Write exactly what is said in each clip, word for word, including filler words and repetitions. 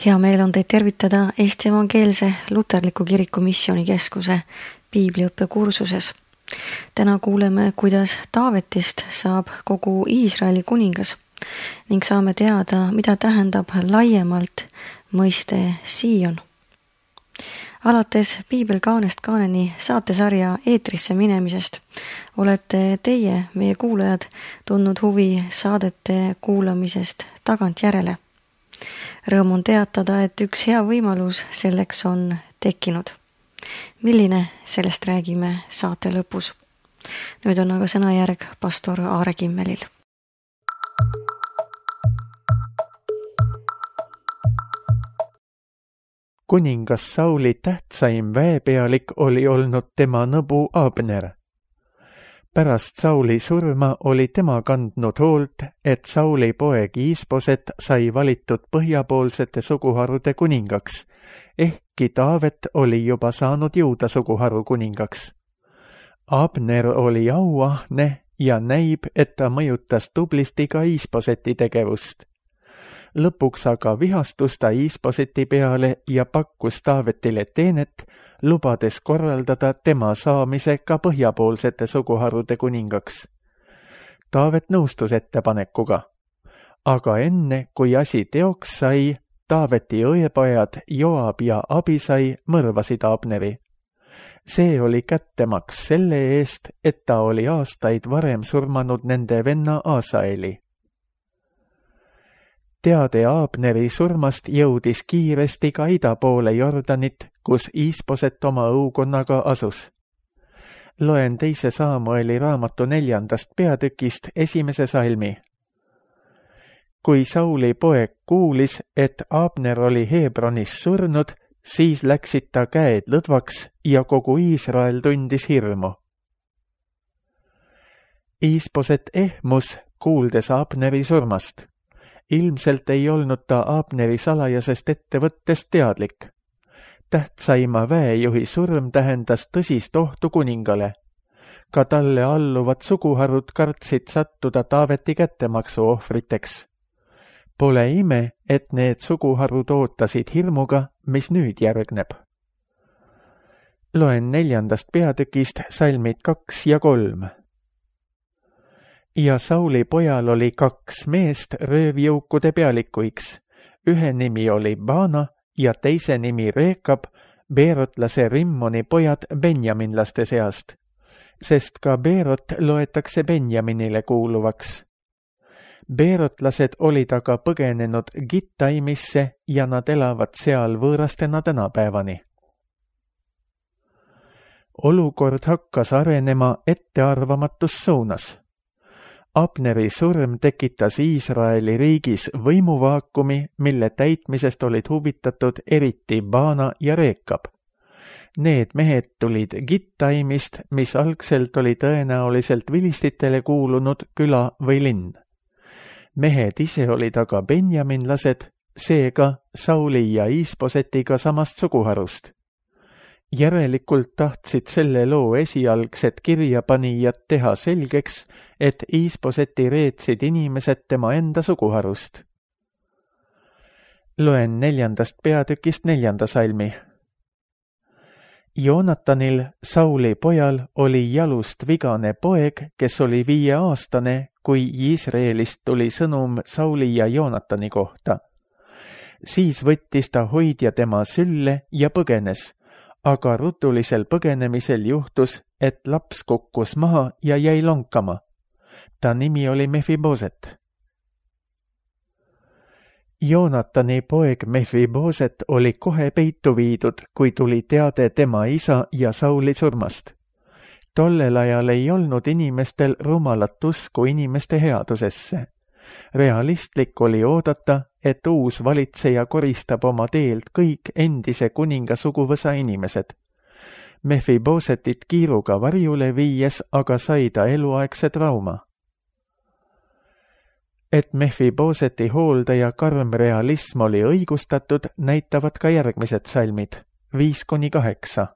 Hea meel on teid tervitada Eesti Evangeelse Luterliku Kiriku Missioonikeskuse piibliõppe kursuses. Täna kuuleme, kuidas Taavetist saab kogu Iisraeli kuningas ning saame teada, mida tähendab laiemalt mõiste Sion. Alates Piibel kaanest kaaneni saatesarja eetrisse minemisest olete teie, meie kuulajad, tundnud huvi saadete kuulamisest tagantjärele. Rõõm on teatada, et üks hea võimalus selleks on tekkinud. Milline, sellest räägime saate lõpus. Nüüd on aga sõnajärg pastor Aare Kimmelil. Kuningas Sauli tähtsaim väepealik oli olnud tema nõbu Abner. Pärast Sauli surma oli tema kandnud hoolt, et Sauli poeg Iisboset sai valitud põhjapoolsete suguharude kuningaks, ehkki Taavet oli juba saanud Juuda suguharu kuningaks. Abner oli auahne ja näib, et ta mõjutas tublisti ka Iisboseti tegevust. Lõpuks aga vihastus ta Iisboseti peale ja pakkus Taavetile teenet, lubades korraldada tema saamise ka põhjapoolsete suguharude kuningaks. Taavet nõustus ettepanekuga, aga enne, kui asi teoks sai, Taaveti õepojad Joab ja Abisai mõrvasid Abneri. See oli kättemaks selle eest, et ta oli aastaid varem surmanud nende venna Asaeli. Teade Abneri surmast jõudis kiiresti ka ida poole Jordanit, kus Iisboset oma õukonnaga asus. Loen teise Saamueli raamatu neljandast peatükist esimese salmi. Kui Sauli poeg kuulis, et Abner oli Hebronis surnud, siis läksid ta käed lõdvaks ja kogu Iisrael tundis hirmu. Iisboset ehmus, kuuldes Abneri surmast. Ilmselt ei olnud ta Abneri salajasest ettevõttest teadlik. Tähtsaima väejuhi surm tähendas tõsist ohtu kuningale. Ka talle alluvad suguharud kartsid sattuda Taaveti kättemaksu ohvriteks. Pole ime, et need suguharud ootasid hirmuga, mis nüüd järgneb. Loen neljandast peatükist salmid kaks ja kolm. Ja Sauli pojal oli kaks meest röövjõukude pealikuiks. Ühe nimi oli Baana ja teise nimi Reekab, Beerotlase Rimmoni pojad benjaminlaste seast, sest ka Beerot loetakse Benjaminile kuuluvaks. Beerotlased olid aga põgenenud Gittaimisse ja nad elavad seal võõrastena tänapäevani. Olukord hakkas arenema ettearvamatus suunas. Abneri surm tekitas Iisraeli riigis võimuvaakumi, mille täitmisest olid huvitatud eriti Baana ja Reekab. Need mehed tulid Gittaimist, mis algselt oli tõenäoliselt vilistitele kuulunud küla või linn. Mehed ise olid aga benjaminlased, seega Sauli ja Iisbosetiga samast suguharust. Järelikult tahtsid selle loo esialgsed kirjapanijad teha selgeks, et Iisboseti reetsid inimesed tema enda suguharust. Loen neljandast peatükist neljanda salmi. Joonatanil, Sauli pojal, oli jalust vigane poeg, kes oli viieaastane, kui Iisraelist tuli sõnum Sauli ja Joonatani kohta. Siis võttis ta hoidja tema sülle ja põgenes. Aga rutulisel põgenemisel juhtus, et laps kukkus maha ja jäi lonkama. Ta nimi oli Mefiboset. Joonatani poeg Mefiboset oli kohe peitu viidud, kui tuli teade tema isa ja Sauli surmast. Tollel ajal ei olnud inimestel rumalat usku inimeste headusesse. Realistlik oli oodata, et uus valitseja koristab oma teelt kõik endise kuninga suguvõsa inimesed. Mefibosetit kiiruga varjule viies aga sai ta eluaegse trauma. Et Mefiboseti hooldaja karm realism oli õigustatud, näitavad ka järgmised salmid, viis kuni kaheksa.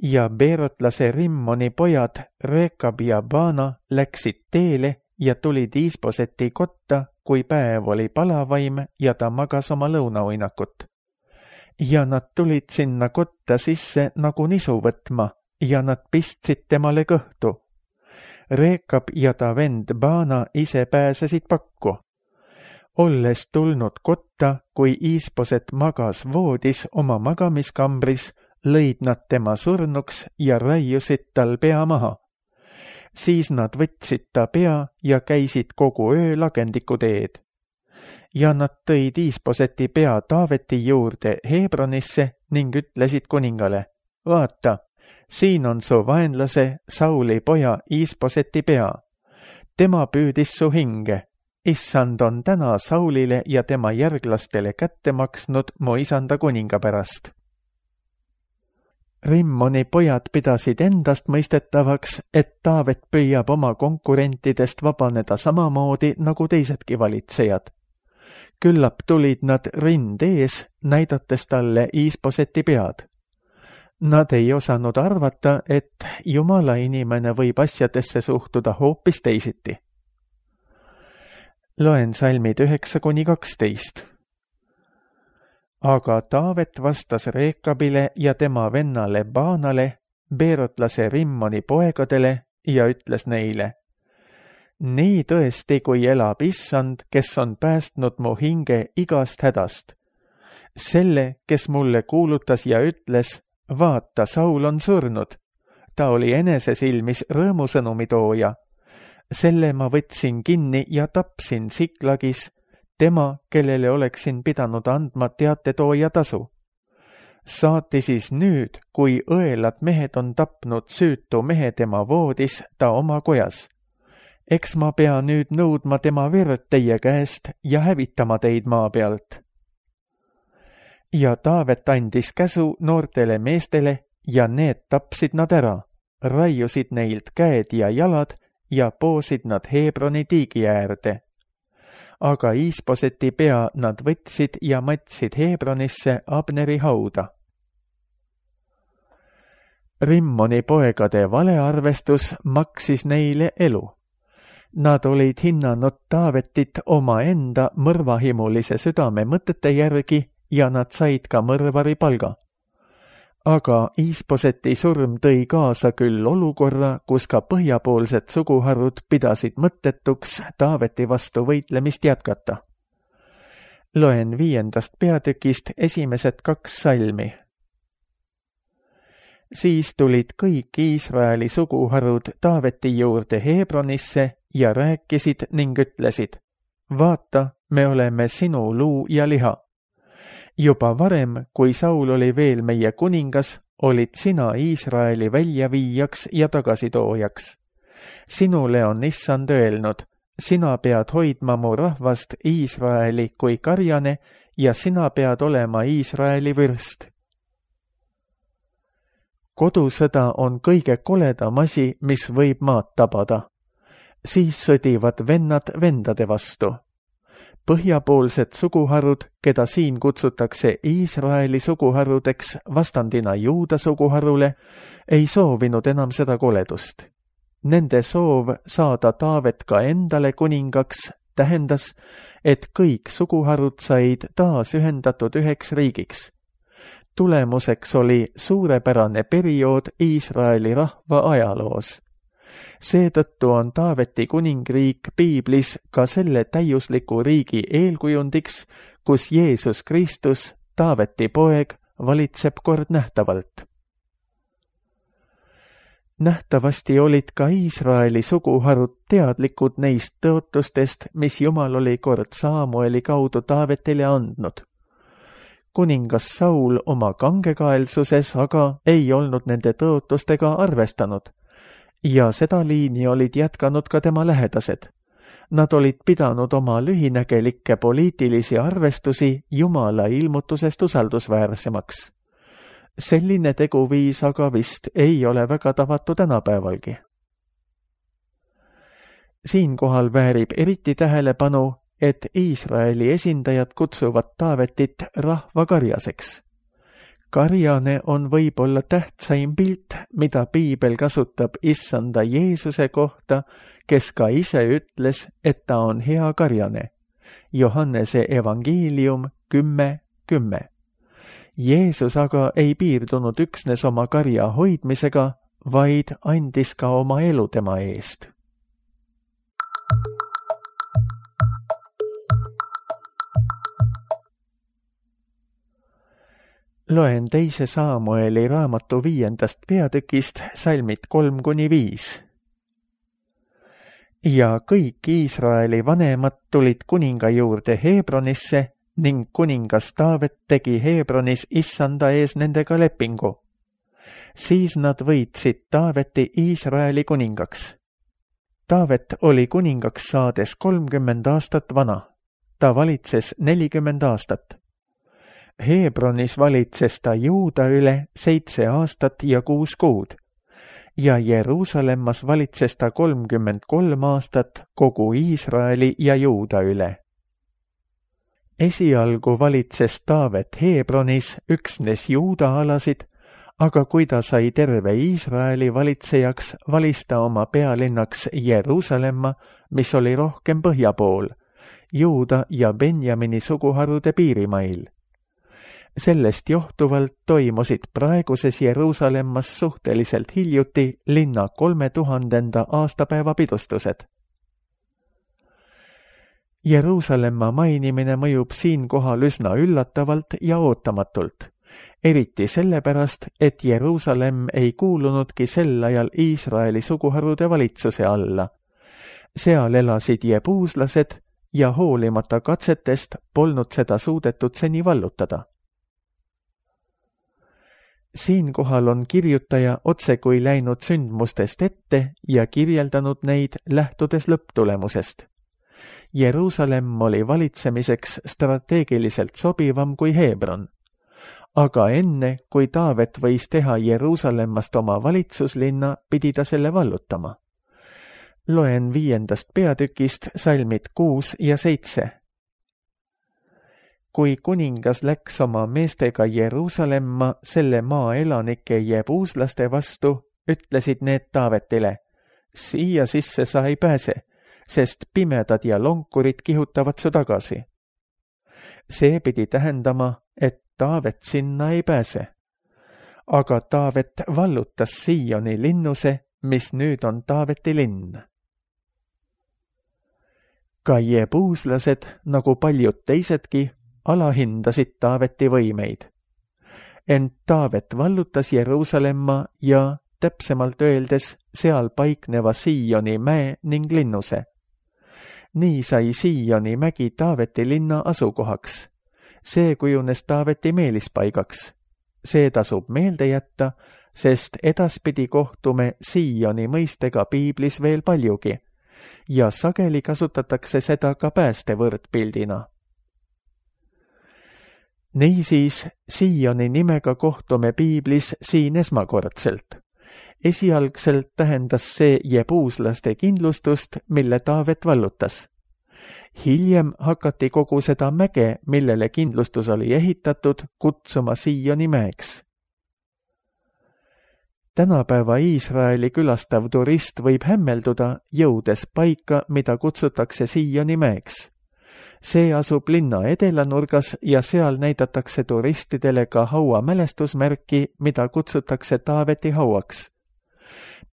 Ja Beerotlase Rimmoni pojad Reekab ja Baana läksid teele ja tulid Iisboseti kotta, kui päev oli palavaim ja ta magas oma lõunauinakut. Ja nad tulid sinna kotta sisse nagu nisu võtma ja nad pistsid temale kõhtu. Reekab ja ta vend Baana ise pääsesid pakku. Olles tulnud kotta, kui Iisposet magas voodis oma magamiskambris, lõid nad tema surnuks ja raiusid tal pea maha. Siis nad võtsid ta pea ja käisid kogu öö lagendiku teed. Ja nad tõid Iisposeti pea Taaveti juurde Hebronisse ning ütlesid kuningale, vaata, siin on su vaenlase Sauli poja Iisposeti pea. Tema püüdis su hinge. Issand on täna Saulile ja tema järglastele kätte maksnud mu isanda kuninga pärast. Rimmoni pojad pidasid endast mõistetavaks, et Taavet püüab oma konkurentidest vabaneda samamoodi nagu teisedki valitsejad. Küllap tulid nad rind ees, näidates talle Iisposeti pead. Nad ei osanud arvata, et Jumala inimene võib asjadesse suhtuda hoopis teisiti. Loen salmid üheksa kuni kaksteist. Aga Taavet vastas Reekabile ja tema vennale Baanale, beerotlase Rimmoni poegadele ja ütles neile, nii tõesti, kui elab Issand, kes on päästnud mu hinge igast hädast. Selle, kes mulle kuulutas ja ütles, vaata, Saul on surnud. Ta oli enese silmis rõõmusõnumi tooja. Selle ma võtsin kinni ja tapsin Siklagis, tema, kellele oleksin pidanud andma teatetooja tasu. Saati siis nüüd, kui õelad mehed on tapnud süütu mehe tema voodis, ta oma kojas. Eks ma pea nüüd nõudma tema verd teie käest ja hävitama teid maa pealt. Ja Taavet andis käsu noortele meestele ja need tapsid nad ära, raiusid neilt käed ja jalad ja poosid nad Hebroni tiigi äärde. Aga Iisposeti pea nad võtsid ja matsid Hebronisse Abneri hauda. Rimmoni poegade valearvestus maksis neile elu. Nad olid hinnanud Taavetit oma enda mõrvahimulise südame mõtete järgi ja nad said ka mõrvari palga. Aga Iisposeti surm tõi kaasa küll olukorra, kus ka põhjapoolsed suguharud pidasid mõttetuks Taaveti vastu võitlemist jätkata. Loen viiendast peatükist esimesed kaks salmi. Siis tulid kõik Iisraeli suguharud Taaveti juurde Hebronisse ja rääkisid ning ütlesid, vaata, me oleme sinu luu ja liha. Juba varem, kui Saul oli veel meie kuningas, olid sina Iisraeli väljaviijaks ja tagasitoojaks. Sinule on Issand öelnud, sina pead hoidma mu rahvast Iisraeli kui karjane ja sina pead olema Iisraeli vürst. Kodusõda on kõige koledam asi, mis võib maad tabada. Siis sõdivad vennad vendade vastu. Põhjapoolsed suguharud, keda siin kutsutakse Iisraeli suguharudeks vastandina Juuda suguharule, ei soovinud enam seda koledust. Nende soov saada Taavet ka endale kuningaks tähendas, et kõik suguharud said taas ühendatud üheks riigiks. Tulemuseks oli suurepärane periood Iisraeli rahva ajaloos. Seetõttu on Taaveti kuningriik piiblis ka selle täiusliku riigi eelkujundiks, kus Jeesus Kristus, Taaveti poeg, valitseb kord nähtavalt. Nähtavasti olid ka Iisraeli suguharud teadlikud neist tõotustest, mis Jumal oli kord Saamueli kaudu Taavetile andnud. Kuningas Saul oma kangekaelsuses aga ei olnud nende tõotustega arvestanud. Ja seda liini olid jätkanud ka tema lähedased. Nad olid pidanud oma lühinägelikke poliitilisi arvestusi Jumala ilmutusest usaldusväärsemaks. Selline teguviis aga vist ei ole väga tavatu tänapäevalgi. Siinkohal väärib eriti tähelepanu, et Iisraeli esindajad kutsuvad Taavetit rahvakarjaseks. Karjane on võib-olla tähtsaim pilt, mida piibel kasutab Issanda Jeesuse kohta, kes ka ise ütles, et ta on hea karjane. Johannese evangeelium kümme kümme. Jeesus aga ei piirdunud üksnes oma karja hoidmisega, vaid andis ka oma elu tema eest. Loen teise Saamueli raamatu viiendast peatükist salmid kolm kuni viis. Ja kõik Iisraeli vanemad tulid kuninga juurde Hebronisse ning kuningas Taavet tegi Hebronis issanda ees nendega lepingu. Siis nad võitsid Taaveti Iisraeli kuningaks. Taavet oli kuningaks saades kolmkümmend aastat vana. Ta valitses nelikümmend aastat. Hebronis valitses ta Juuda üle seitse aastat ja kuus kuud ja Jeruusalemmas valitses ta kolmkümmend kolm aastat kogu Iisraeli ja Juuda üle. Esialgu valitses Taavet Hebronis üksnes Juuda alasid, aga kui ta sai terve Iisraeli valitsejaks, valis ta oma pealinnaks Jeruusalemma, mis oli rohkem põhja pool, Juuda ja Benjamini suguharude piirimail. Sellest johtuvalt toimusid praeguses Jeruusalemmas suhteliselt hiljuti linna kolmetuhandenda aastapäeva pidustused. Jeruusalemma mainimine mõjub siinkohal üsna üllatavalt ja ootamatult, eriti sellepärast, et Jeruusalemm ei kuulunudki sel ajal Iisraeli suguharude valitsuse alla. Seal elasid jebuuslased ja hoolimata katsetest polnud seda suudetud seni vallutada. Siinkohal on kirjutaja otsekui läinud sündmustest ette ja kirjeldanud neid lähtudes lõpptulemusest. Jeruusalemm oli valitsemiseks strateegiliselt sobivam kui Hebron. Aga enne, kui Taavet võis teha Jeruusalemmast oma valitsuslinna, pidi ta selle vallutama. Loen viiendast peatükist salmid kuus ja seitse. Kui kuningas läks oma meestega Jeruusalemma selle maa elanike jebuuslaste vastu, ütlesid need Taavetile, siia sisse sa ei pääse, sest pimedad ja lonkurid kihutavad su tagasi. See pidi tähendama, et Taavet sinna ei pääse. Aga Taavet vallutas Sioni linnuse, mis nüüd on Taaveti linn. Ka jebuuslased, nagu paljud teisedki, alahindasid Taaveti võimeid. Ent Taavet vallutas Jeruusalemma ja, täpsemalt öeldes, seal paikneva Sioni mäe ning linnuse. Nii sai Sioni mägi Taaveti linna asukohaks. See kujunes Taaveti meelispaigaks. See tasub meelde jätta, sest edaspidi kohtume Sioni mõistega piiblis veel paljugi ja sageli kasutatakse seda ka päästevõrdpildina. Niisiis, Sioni nimega kohtume piiblis siin esmakordselt. Esialgselt tähendas see jebuuslaste kindlustust, mille Taavet vallutas. Hiljem hakati kogu seda mäge, millele kindlustus oli ehitatud, kutsuma Sioni mäeks. Tänapäeva Iisraeli külastav turist võib hämmelduda, jõudes paika, mida kutsutakse Sioni mäeks. See asub linna edelanurgas ja seal näidatakse turistidele ka haua mälestusmärki, mida kutsutakse Taaveti hauaks.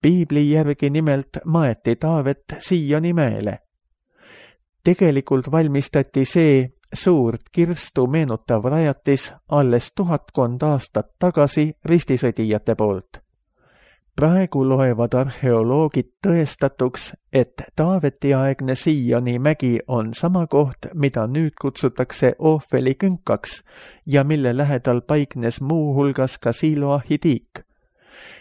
Piibli järgi nimelt maeti Taavet Sioni mäele. Tegelikult valmistati see suurt kirstu meenutav rajatis alles tuhatkond aastat tagasi ristisõdijate poolt. Praegu loevad arheoloogid tõestatuks, et Taaveti-aegne Sioni mägi on sama koht, mida nüüd kutsutakse Ohveli künkaks ja mille lähedal paiknes muu hulgas ka Siloahi tiik.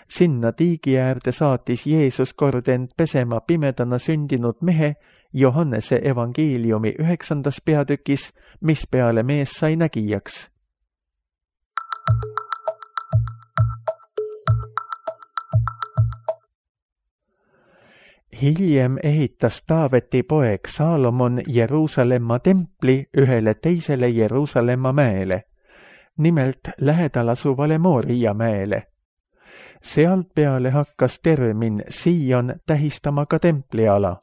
Sinna tiigi äärde saatis Jeesus kord end pesema pimedana sündinud mehe Johannese evangeeliumi üheksandas peatükis, mis peale mees sai nägijaks. Hiljem ehitas Taaveti poeg Saalomon Jeruusalemma templi ühele teisele Jeruusalemma mäele, nimelt lähedal asuvale Mooria mäele. Sealt peale hakkas termin Sion tähistama ka templiala.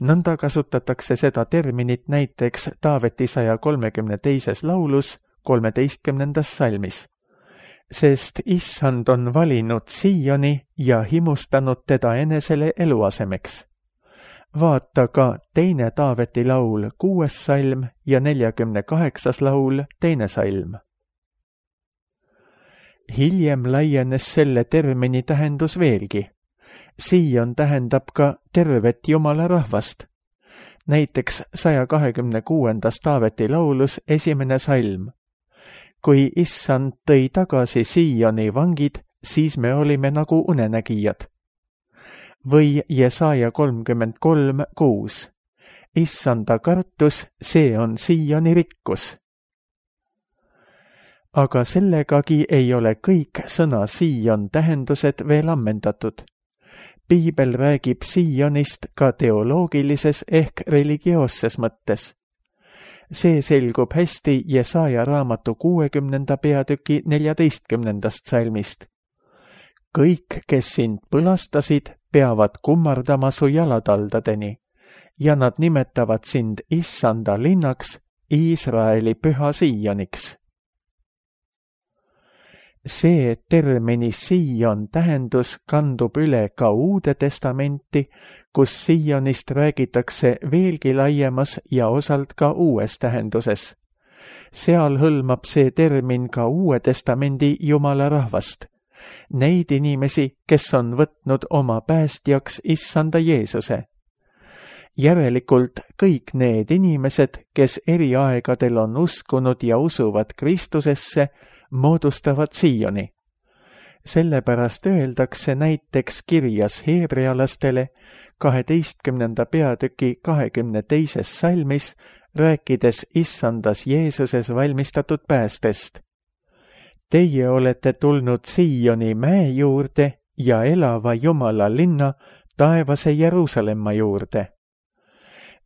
nõnda kasutatakse seda terminit näiteks Taaveti saja kolmekümne teises laulus kolmeteistkümnendas salmis. Sest issand on valinud Sioni ja himustanud teda enesele eluasemeks. Vaata ka teine Taaveti laul, kuues salm ja neljakümne kaheksas laul, teine salm. Hiljem laienes selle termini tähendus veelgi. Sion tähendab ka tervet Jumala rahvast. Näiteks saja kahekümne kuuendas Taaveti laulus esimene salm. Kui issand tõi tagasi Sioni vangid, siis me olime nagu unenägijad. Või Jesaja kolmkümmend kolm kuus. Issanda kartus, see on Sioni rikkus. Aga sellegagi ei ole kõik sõna Sion tähendused veel ammendatud. Piibel räägib Sionist ka teoloogilises ehk religioosses mõttes. See selgub hästi Jesaja raamatu kuuekümnenda peatüki neljateistkümnendast salmist. Kõik, kes sind põlastasid, peavad kummardama su jalataldadeni ja nad nimetavad sind issanda linnaks, Iisraeli püha Sioniks. See termini Sion tähendus kandub üle ka Uude Testamenti, kus Sionist räägitakse veelgi laiemas ja osalt ka uues tähenduses. Seal hõlmab see termin ka Uue Testamendi Jumala rahvast. Neid inimesi, kes on võtnud oma päästjaks issanda Jeesuse. Järelikult kõik need inimesed, kes eri aegadel on uskunud ja usuvad Kristusesse, moodustavad Sioni. Sellepärast öeldakse näiteks kirjas heebrealastele kaheteistkümnenda peatüki kahekümne teises salmis, rääkides issandas Jeesuses valmistatud päästest. Teie olete tulnud Sioni mäe juurde ja elava Jumala linna, taevase Jeruusalemma juurde.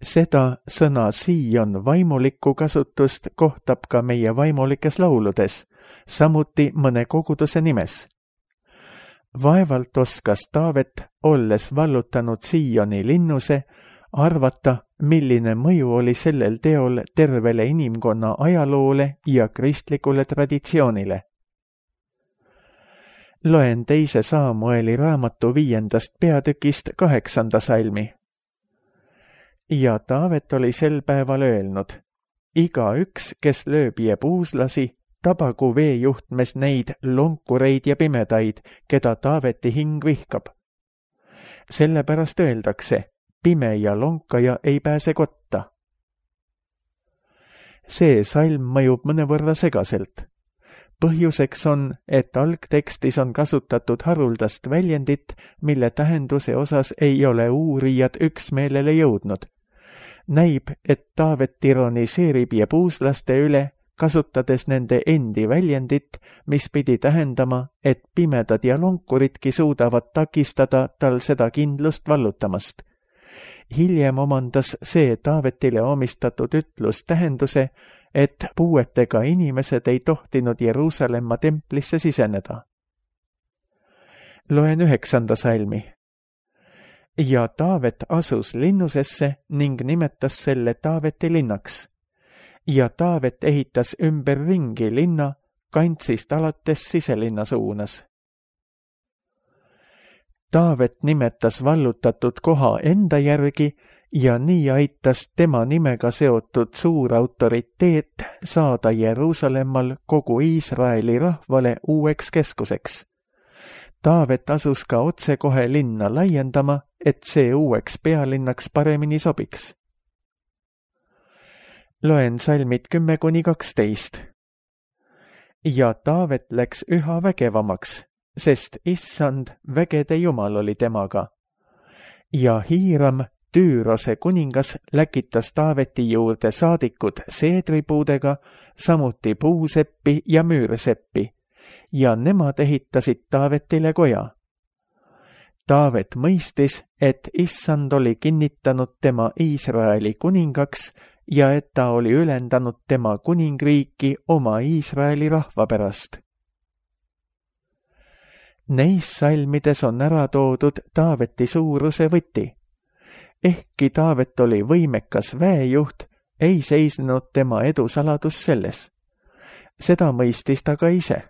Seda sõna Sion vaimulikku kasutust kohtab ka meie vaimulikes lauludes, samuti mõne koguduse nimes. Vaevalt oskas Taavet, olles vallutanud Sioni linnuse, arvata, milline mõju oli sellel teol tervele inimkonna ajaloole ja kristlikule traditsioonile. Loen teise Saamueli raamatu viiendast peatükist kaheksanda salmi. Ja Taavet oli sel päeval öelnud, iga üks, kes lööb jebuuslasi, tabagu veejuhtmes neid lonkureid ja pimedaid, keda Taaveti hing vihkab. Sellepärast öeldakse, pime ja lonkaja ei pääse kotta. See salm mõjub mõnevõrra segaselt. Põhjuseks on, et algtekstis on kasutatud haruldast väljendit, mille tähenduse osas ei ole uurijad üksmeelele jõudnud. Näib, et Taavet ironiseerib jebuuslaste üle, kasutades nende endi väljendit, mis pidi tähendama, et pimedad ja lonkuridki suudavad takistada tal seda kindlust vallutamast. Hiljem omandas see Taavetile omistatud ütlus tähenduse, et puuetega inimesed ei tohtinud Jeruusalemma templisse siseneda. Loen üheksanda salmi. Ja Taavet asus linnusesse ning nimetas selle Taaveti linnaks. Ja Taavet ehitas ümberringi linna, kantsist alates siselinna suunas. Taavet nimetas vallutatud koha enda järgi ja nii aitas tema nimega seotud suur autoriteet saada Jeruusalemmal kogu Iisraeli rahvale uueks keskuseks. Taavet asus ka otsekohe linna laiendama, et see uueks pealinnaks paremini sobiks. Loen salmid kümme kuni kaksteist. Ja Taavet läks üha vägevamaks, sest issand vägede Jumal oli temaga. Ja Hiiram, Tüürose kuningas, läkitas Taaveti juurde saadikud seedripuudega, samuti puuseppi ja müürseppi, ja nemad ehitasid Taavetile koja. Taavet mõistis, et issand oli kinnitanud tema Iisraeli kuningaks ja et ta oli ülendanud tema kuningriiki oma Iisraeli rahva pärast. Neis salmides on ära toodud Taaveti suuruse võti. Ehkki Taavet oli võimekas väejuht, ei seisnud tema edu saladus selles. Seda mõistis ta ka ise.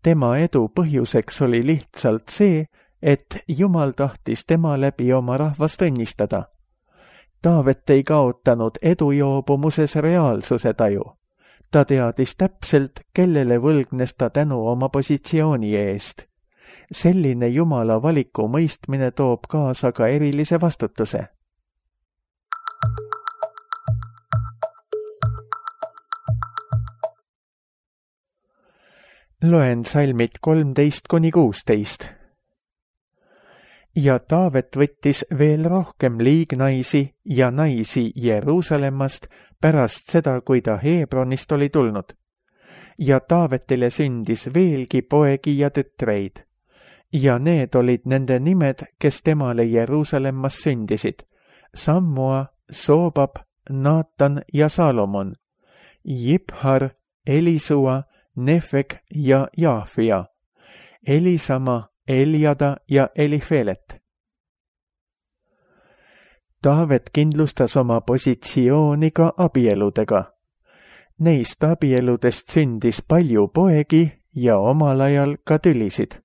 Tema edu põhjuseks oli lihtsalt see, et Jumal tahtis tema läbi oma rahvast õnnistada. Taavet ei kaotanud edujoobumuses reaalsuse taju. Ta teadis täpselt, kellele võlgnes ta tänu oma positsiooni eest. Selline Jumala valiku mõistmine toob kaasa ka erilise vastutuse. Loen salmid kolmteist kuni kuusteist. Ja Taavet võttis veel rohkem liignaisi ja naisi Jeruusalemmast pärast seda, kui ta Hebronist oli tulnud. Ja Taavetile sündis veelgi poegi ja tütreid. Ja need olid nende nimed, kes temale Jeruusalemmas sündisid. Sammua, Soobab, Naatan ja Salomon. Jibhar, Elisua, Nefek ja Jaafia. Elisama, Eliada ja Elifelet. Taavet kindlustas oma positsiooni ka abieludega. Neist abieludest sündis palju poegi ja omal ajal ka tülisid.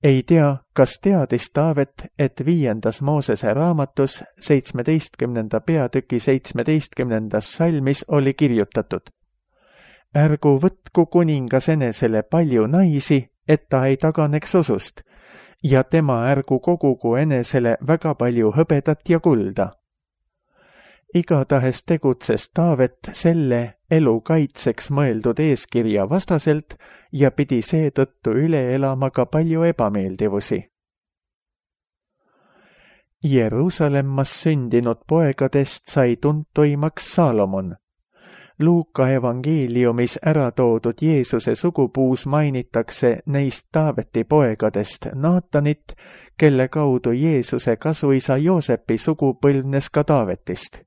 Ei tea, kas teadis Taavet, et viiendas Moosese raamatus seitsmeteistkümnenda peatüki seitsmeteistkümnendas salmis oli kirjutatud. Ärgu võtku kuningas enesele palju naisi, et ta ei taganeks usust, ja tema ärgu kogugu enesele väga palju hõbedat ja kulda. Igatahes tegutses Taavet selle elu kaitseks mõeldud eeskirja vastaselt ja pidi seetõttu üle elama ka palju ebameeldivusi. Jeruusalemmas sündinud poegadest sai tuntuimaks Salomon. Luuka evangeeliumis ära toodud Jeesuse sugupuus mainitakse neist Taaveti poegadest Naatanit, kelle kaudu Jeesuse kasuisa Joosepi sugu põlvnes ka Taavetist.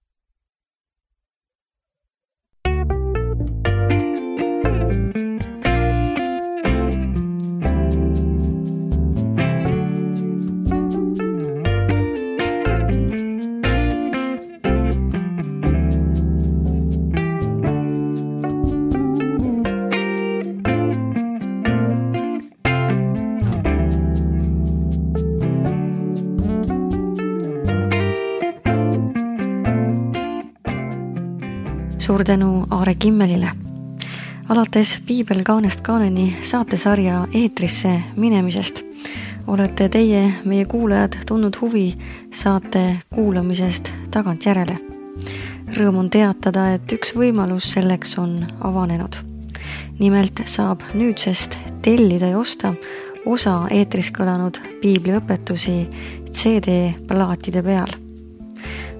Suur tänu Aare Kimmelile. Alates Piibel kaanest kaaneni saatesarja eetrisse minemisest olete teie, meie kuulajad, tundnud huvi saate kuulamisest tagantjärele. Rõõm on teatada, et üks võimalus selleks on avanenud. Nimelt saab nüüdsest tellida ja osta osa eetris kõlanud piibliõpetusi C D-plaatide peal.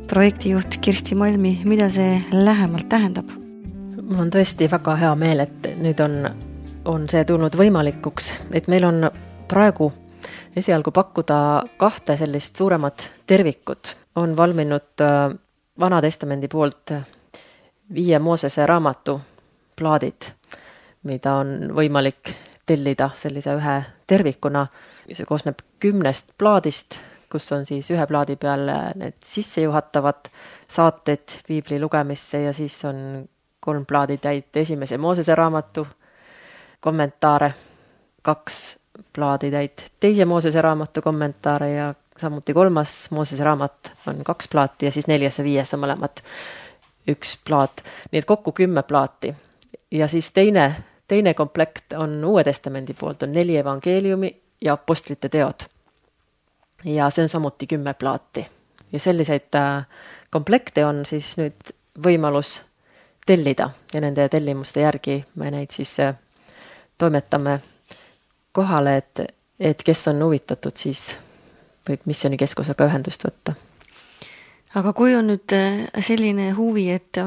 Projektijuht Kirsti Malmi, mida see lähemalt tähendab? Mul on tõesti väga hea meel, et nüüd on, on see tulnud võimalikuks, et meil on praegu esialgu pakkuda kahte sellist suuremat tervikut. On valminud Vana Testamendi poolt viie Moosese raamatu plaadid, mida on võimalik tellida sellise ühe tervikuna. See koosneb kümnest plaadist, kus on siis ühe plaadi peal need sissejuhatavad saated piibli lugemisse ja siis on kolm plaadi täit esimese Moosese raamatu kommentaare, kaks plaadi täit teise Moosese raamatu kommentaare ja samuti kolmas Moosese raamat on kaks plaati ja siis neljas ja viies on mõlemad üks plaat. Nii et kokku kümme plaati. Ja siis teine, teine komplekt on Uue Testamendi poolt, on neli evangeeliumi ja apostlite teod. Ja see on samuti kümme plaati. Ja selliseid komplekte on siis nüüd võimalus tellida ja nende tellimuste järgi me neid siis toimetame kohale, et, et kes on huvitatud, siis võib missioonikeskusega ühendust võtta. Aga kui on nüüd selline huvi, et,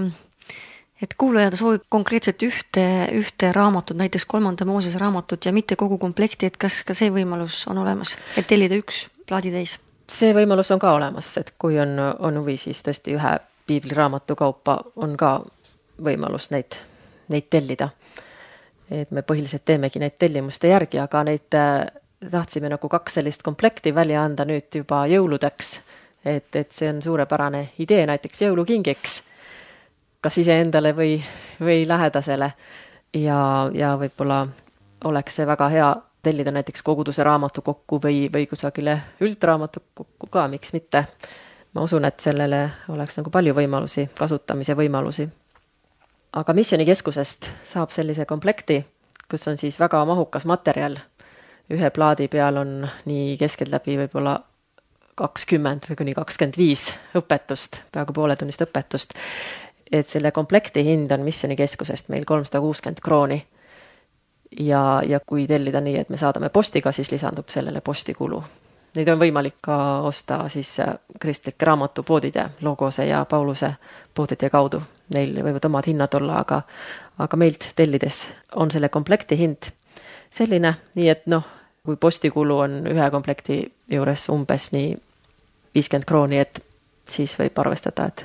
et kuulaja soovib konkreetselt ühte, ühte raamatut, näiteks kolmanda Moosese raamatut ja mitte kogu komplekti, et kas ka see võimalus on olemas, et tellida üks plaaditäis? See võimalus on ka olemas, et kui on, on huvi, siis tõesti ühe piibliraamatu kaupa on ka võimalus neid, neid tellida. Et me põhiliselt teemegi neid tellimuste järgi, aga neid tahtsime nagu kaks sellist komplekti välja anda nüüd juba jõuludeks, et, et see on suurepärane idee näiteks jõulukingiks, kas iseendale või, või lähedasele ja, ja võib-olla oleks see väga hea tellida näiteks koguduse raamatu kokku või, või kusagile üldraamatu kokku ka, miks mitte. Ma usun, et sellele oleks nagu palju võimalusi, kasutamise võimalusi. Aga Missioonikeskusest saab sellise komplekti, kus on siis väga mahukas materjal. Ühe plaadi peal on nii keskeltläbi võib-olla kakskümmend või kuni kakskümmend viis õpetust, peaaegu pooletunnist õpetust. Et selle komplekti hind on Missioonikeskusest meil kolmsada kuuskümmend krooni. Ja, ja kui tellida nii, et me saadame postiga, siis lisandub sellele postikulu. Neid on võimalik ka osta siis kristlike raamatupoodide, Logose ja Pauluse poodide kaudu. Neil võivad omad hinnad olla, aga, aga meilt tellides on selle komplekti hind selline, nii et noh, kui postikulu on ühe komplekti juures umbes nii viiskümmend krooni, et siis võib arvestada, et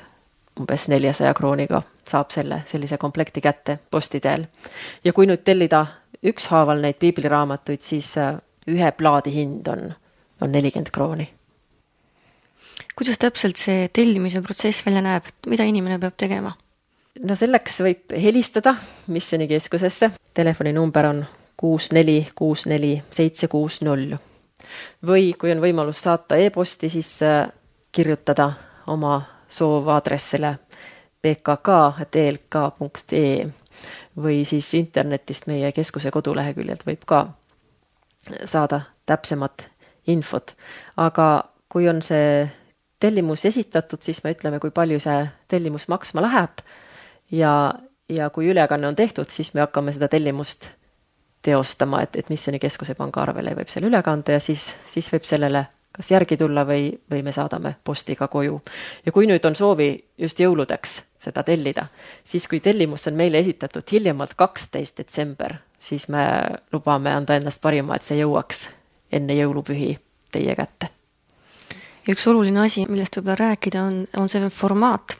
umbes neljasaja krooniga saab selle sellise komplekti kätte posti teel. Ja kui nüüd tellida ükshaaval neid piibliraamatuid, siis ühe plaadi hind on, on nelikümmend krooni. Kuidas täpselt see tellimise protsess välja näeb? Mida inimene peab tegema? No selleks võib helistada Missioonikeskusesse. Telefoninumber on kuus neli kuus neli seitse kuus null. Või kui on võimalus saata e-posti, siis kirjutada oma soov aadressile b k k at e l k punkt e e või siis internetist meie keskuse koduleheküljelt võib ka saada täpsemat infot. Aga kui on see tellimus esitatud, siis me ütleme, kui palju see tellimus maksma läheb ja, ja kui ülekanne on tehtud, siis me hakkame seda tellimust teostama, et, et Missioonikeskuse pangaarvele võib selle ülekande ja siis, siis võib sellele kas järgi tulla või, või me saadame postiga koju. Ja kui nüüd on soovi just jõuludeks seda tellida, siis kui tellimus on meile esitatud hiljemalt kaksteist detsember, siis me lubame anda endast parima, et see jõuaks enne jõulupühi teie kätte. Ja üks oluline asi, millest võib-olla rääkida, on, on see formaat.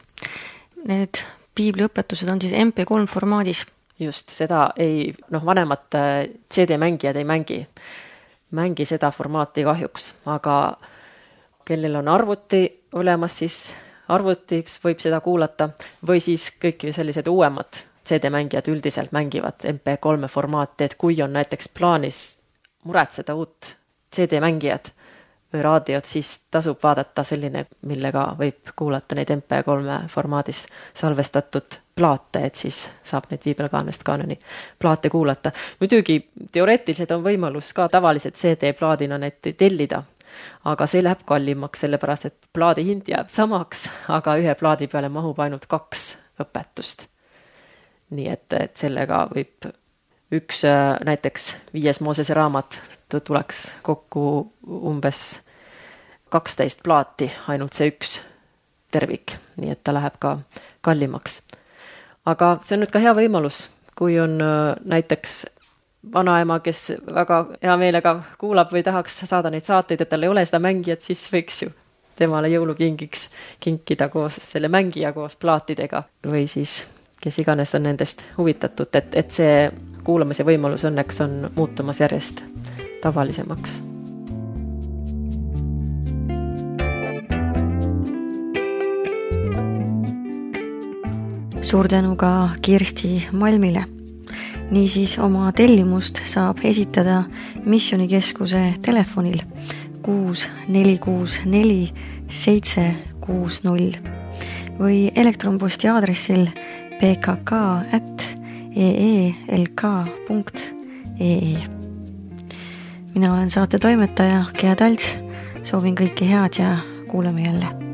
Need piibliõpetused on siis M P kolm formaadis. Just, seda ei, noh, vanemad C D-mängijad ei mängi. Mängi seda formaati kahjuks, aga kellel on arvuti olemas, siis arvutiks võib seda kuulata või siis kõik sellised uuemad C D-mängijad üldiselt mängivad M P kolm formaati, et kui on näiteks plaanis muretseda uut C D-mängijad või raadiot, siis tasub vaadata selline, millega võib kuulata neid M P kolm formaadis salvestatud plaate, et siis saab neid Viibelkaanest kaanoni plaate kuulata. Muidugi teoreetiliselt on võimalus ka tavaliselt C D-plaadina neid tellida, aga see läheb kallimaks, sellepärast et plaadi hind jääb samaks, aga ühe plaadi peale mahub ainult kaks õpetust. Nii et, et sellega võib üks näiteks viies Moosese raamat tuleks kokku umbes kaksteist plaati, ainult see üks tervik, nii et ta läheb ka kallimaks. Aga see on nüüd ka hea võimalus, kui on näiteks vanaema, kes väga hea meelega kuulab või tahaks saada neid saateid, et tal ei ole seda mängijat, siis võiks ju temale jõulukingiks kinkida koos selle mängija koos plaatidega või siis kes iganes on nendest huvitatud, et, et see kuulamise võimalus õnneks on muutumas järjest tavalisemaks. Suur tänu ka Kirsti Malmile. Niisiis oma tellimust saab esitada Missioonikeskuse telefonil kuus neli kuus neli seitse kuus null või elektronposti aadressil b k k at e e l k punkt e e. Mina olen saate toimetaja Gea Talts, soovin kõike head ja kuuleme jälle.